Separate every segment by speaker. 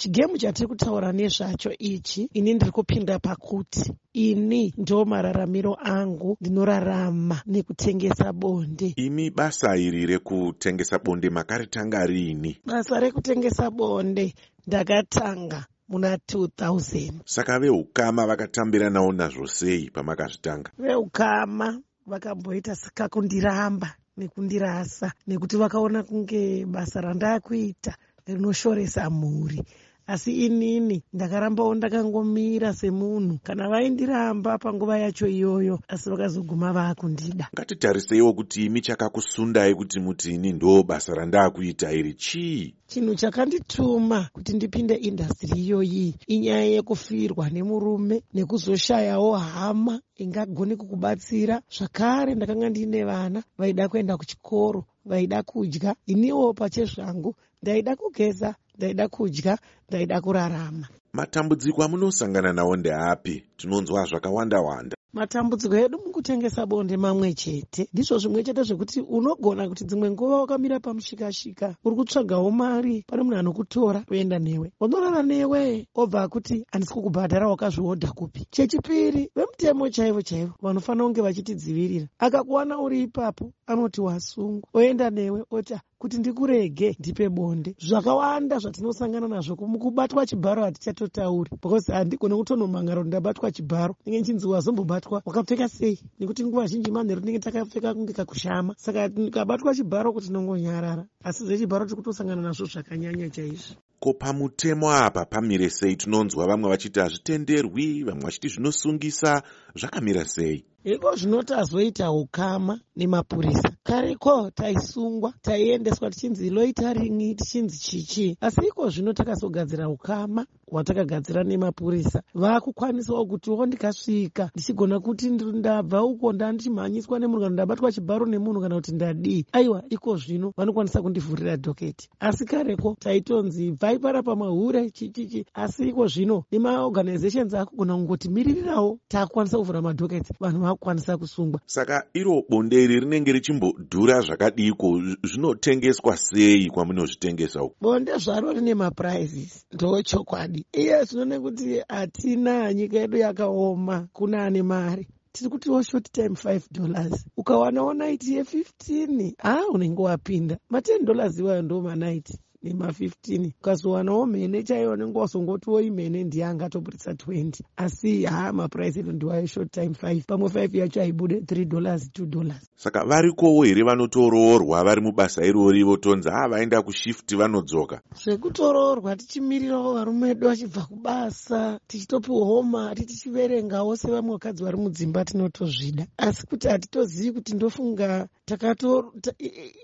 Speaker 1: Chigemu chatiri kutaura nezvacho ichi, ini ndiri kupinda pakuti ini ndo mararamiro angu, ndinorarama nekutengesa bonde.
Speaker 2: Imi basa iri rekutengesa bonde makaritanga riini?
Speaker 1: Basa rekutengesa bonde ndakatanga muna 2000.
Speaker 2: Saka veukama vakatambiranawo nazvo sei pamakazvitanga?
Speaker 1: Veukama vakamboita sekakundiramba nekundirasa, nekuti vakaona kunge basa randakuita rinoshoresa mhuri. Asi inini ndakarambawo ndakangomira semunhu. Kana vaindiramba panguva yacho iyoyo, asi vakazoguma vaakundida.
Speaker 2: Ngatitariseiwo kuti imi chakakusundai kuti muti ini ndo basa randaakuita iri chii?
Speaker 1: Chinhu chakandituma kuti ndipinde indastiri iyoyi inyaya yekufirwa nemurume nekuzoshayawo hama ingagone kukubatsira. Zvakare ndakanga ndiine vana vaida kuenda kuchikoro, vaida kudya. Iniwo pachezvangu ndaida kugeza, ndaida kudya, ndaida kurarama.
Speaker 2: Matambudziko amunosangana nawo ndeapi? Tinonzwa zvakawanda wanda.
Speaker 1: Matambudziko edu mukutengesa bonde mamwe chete. Ndizvo zvimwe chete zvekuti unogona kuti dzimwe nguva wakamira pamushikashika, uri kutsvagawo mari, pane munhu anokutora oenda newe, unorara newe, obva akuti handisi kukubhadhara, wakazviodha kupi? Chechipiri, vemutemo chaivo chaivo vanofanira kunge vachitidzivirira, akakuwana uri ipapo anoti wasungwa, oenda newe, oti kuti ndikurege ndipe bonde. Zvakawanda zvatinosangana nazvo. Kubatwa chibharo hatichatotauri, because handigone kutonomangara kuti ndabatwa chibharo. Ndinge nchinzi wazombobatwa wakapfeka sei, nekuti nguva zhinji manheru tinenge takapfeka kunge kakushama. Saka kabatwa chibharo kuti tinongonyarara, asi zvechibharo tiri kutosangana nazvo zvakanyanya chaizvo.
Speaker 2: Ko pamutemo apa pamire sei? Tinonzwa vamwe vachiti hazvitenderwi, vamwe vachiti zvinosungisa. Zvakamira sei?
Speaker 1: Iko zvino tazoita ukama nemapurisa. Kareko taisungwa, taiendeswa tichinzi loitering, tichinzi chichi, asi iko zvino takazogadzira ukama hwatakagadzira nemapurisa. Vaakukwanisawo kutiwo ndikasvika ndichigona kuti ndabva uko, ndandichimhanyiswa nemunhu, kana ndabatwa chibharo nemunhu, kana kuti ndadii, aiwa, iko zvino vanokwanisa kundivhurira dhoketi. Asi kareko taitonzi bvai parapa mahure, chichichi. Asi iko zvino nemaorganizations akugona kungotimiririrawo, taakukwanisa kuvhura madhoketi, vanhu vaakukwanisa kusungwa.
Speaker 2: Saka iro bonde iri rinenge richimbodhura zvakadiko? Zvinotengeswa sei kwamunozvitengesa uku?
Speaker 1: Bonde zvaro rine maprizes, ndochokwadi. Iye zvino nekuti hatina, nyika yedu yakaoma, kuna ane mari tiri kutiwo short time $5, ukawanawo night ye15, ha, unenge wapinda. Ma10 dollars iwayo ndo manight nema15. Ukazowanawo mhene chaiyo, unenge wazongotiwo imhene ndiye angatoburitsa 20. Asi ha, maprice edu ndiwayo, short time 5, pamwe 5 yacho haibude, $3, $2.
Speaker 2: Saka varikowo here vanotoroorwa vari mubasa irori, votonzi ha, vaenda kushift, vanodzoka?
Speaker 1: Zvekutoroorwa tichimirirawo varume vedu vachibva kubasa, tichitopiwawo mari, tichiverengawo sevamwe vakadzi vari mudzimba, tinotozvida. Asi kuti hatitozivi kuti ndofunga takato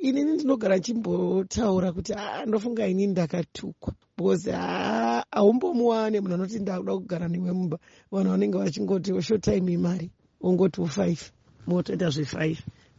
Speaker 1: inini ndinogara nchimbotaura kuti aa, ndofunga inini ndakatukwa, because haa, haumbomuwane munhu anoti ndakuda kugara newe mumba. Vanhu vanenge vachingoti short time imari, ongotiwo 5, motoita zve5.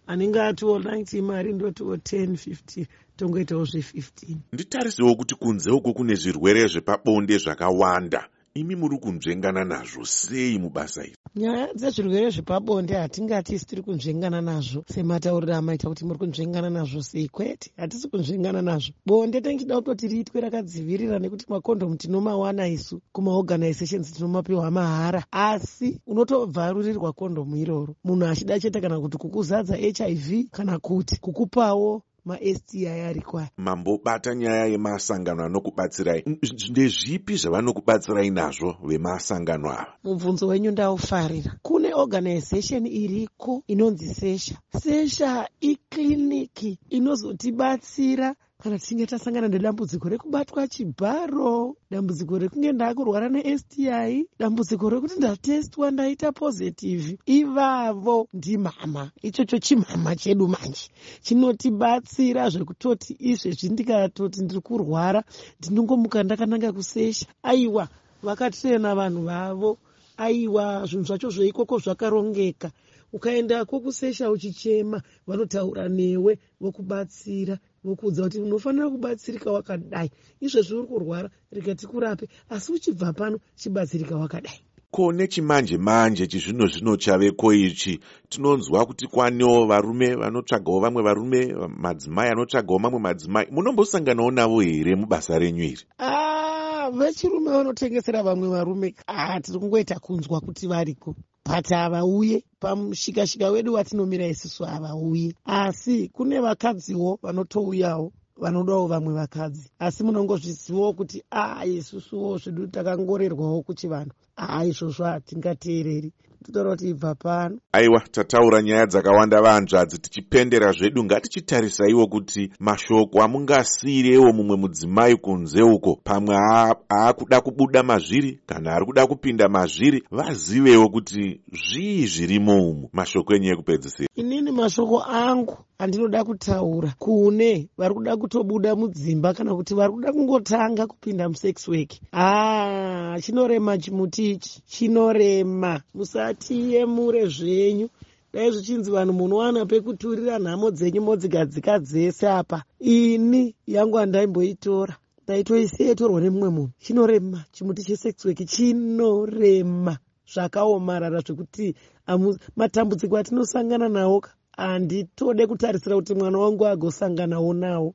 Speaker 1: Anenge atiwo 90 mari, ndotiwo 10 15, tongoitawo zve15.
Speaker 2: Nditarisewo kuti kunze uko kune zvirwere zvepabonde zvakawanda. Imi muri kunzvengana nazvo sei mubasa iri?
Speaker 1: Nyaya dzezvirwere zvepabonde hatingati isi tiri kunzvengana nazvo sematauriro amaita kuti muri kunzvengana nazvo sei. Kwete, hatisi kunzvengana nazvo. Bonde tinenge kutoti riitwe rakadzivirira, nekuti makondomu tinomawana isu kumaorganizations, tinomapiwa mahara. Asi unotobvarurirwa kondomu iroro munhu achida chete kana kuti kukuzadza HIV, kana kuti kukupawo maSTI ariko aya.
Speaker 2: Mambobata nyaya yemasangano anokubatsirai. Ndezvipi zvavanokubatsirai nazvo vemasangano ava?
Speaker 1: Mubvunzo wenyu ndaufarira. Kune organization iriko inonzi Sesha. Sesha ikliniki inozotibatsira kana tichinge tasangana nedambudziko rekubatwa chibharo, dambudziko rekunge ndaakurwara neSTI, dambudziko rekuti ndatestwa ndaita positive. Ivavo ndimama, ichocho chimama chedu manje chinotibatsira zvekutoti izvezvi ndikatoti ndiri kurwara, ndinongomuka ndakananga kuSesha. Aiwa, vakatrena vanhu vavo. Aiwa, zvinhu zvacho zveikoko zvakarongeka. Ukaendako kuSesha uchichema, vanotaura newe, vokubatsira, vokuudza kuti unofanira kubatsirika wakadai. Izvezvi uri kurwara, rega tikurape, asi uchibva pano chibatsirika wakadai.
Speaker 2: Ko nechimanje manje chizvino zvino chaveko ichi, tinonzwa kuti kwanewo varume vanotsvagawo vamwe varume, madzimai anotsvagawo mamwe madzimai. Munombosanganawo navo here mubasa renyu iri?
Speaker 1: Ah, Vechirume vanotengesera vamwe varume, tiri kungoita kunzwa kuti variko, but havauye pamushikashika wedu watinomira isusu, havauye. Asi kune vakadziwo vanotouyawo, vanodawo vamwe vakadzi. Asi munongozvizivawo kuti isusuwo zvedu takangorerwawo kuchivanhu, izvozvo hatingateereri, totaura kuti ibva pano.
Speaker 2: Aiwa, tataura nyaya dzakawanda, vanzvadzi. Tichipendera zvedu, ngatichitarisaiwo kuti mashoko amungasiyirewo mumwe mudzimai kunze uko, pamwe aakuda kubuda mazviri kana ari kuda kupinda mazviri, vazivewo kuti zvii zvirimo umu. Mashoko enyu ekupedzisira.
Speaker 1: Inini mashoko angu andinoda kutaura kune vari kuda kutobuda mudzimba kana kuti vari kuda kungotanga kupinda musex work: chinorema chimuti ichi, chinorema. Musatiyemure zvenyu. Dai zvichinzi vanhu munowana pekuturira nhamo dzenyu, modzigadzika dzese apa, ini yangu handaimboitora, ndaitoisiya itorwa nemumwe munhu. Chinorema chimuti chesex work, chinorema zvakaomarara, zvekuti matambudziko atinosangana nawo handitode kutarisira kuti mwana wangu agosanganawo nawo.